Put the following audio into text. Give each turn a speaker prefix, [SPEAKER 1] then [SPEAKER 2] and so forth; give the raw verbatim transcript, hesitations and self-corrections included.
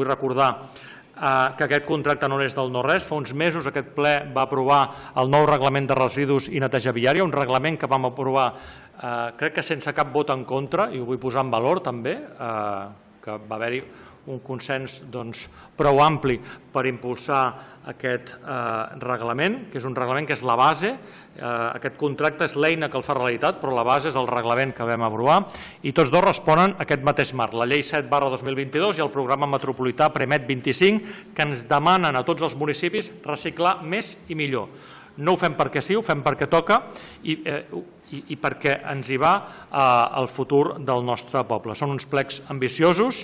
[SPEAKER 1] Vull recordar que aquest contracte no és del no-res. Fa uns mesos aquest ple va aprovar el nou reglament de residus i neteja viària, un reglament que vam aprovar crec que sense cap vot en contra, i ho vull posar en valor també, que va haver-hi un consens prou ampli per impulsar aquest reglament, que és un reglament que és la base. Aquest contracte és l'eina que el fa realitat, però la base és el reglament que vam aprovar, i tots dos responen a aquest mateix marc, la llei set barra dos mil vint-i-dos i el programa metropolità Premet vint-i-cinc, que ens demanen a tots els municipis reciclar més i millor. No ho fem perquè sí, ho fem perquè toca i i perquè ens hi va el futur del nostre poble. Són uns plecs ambiciosos,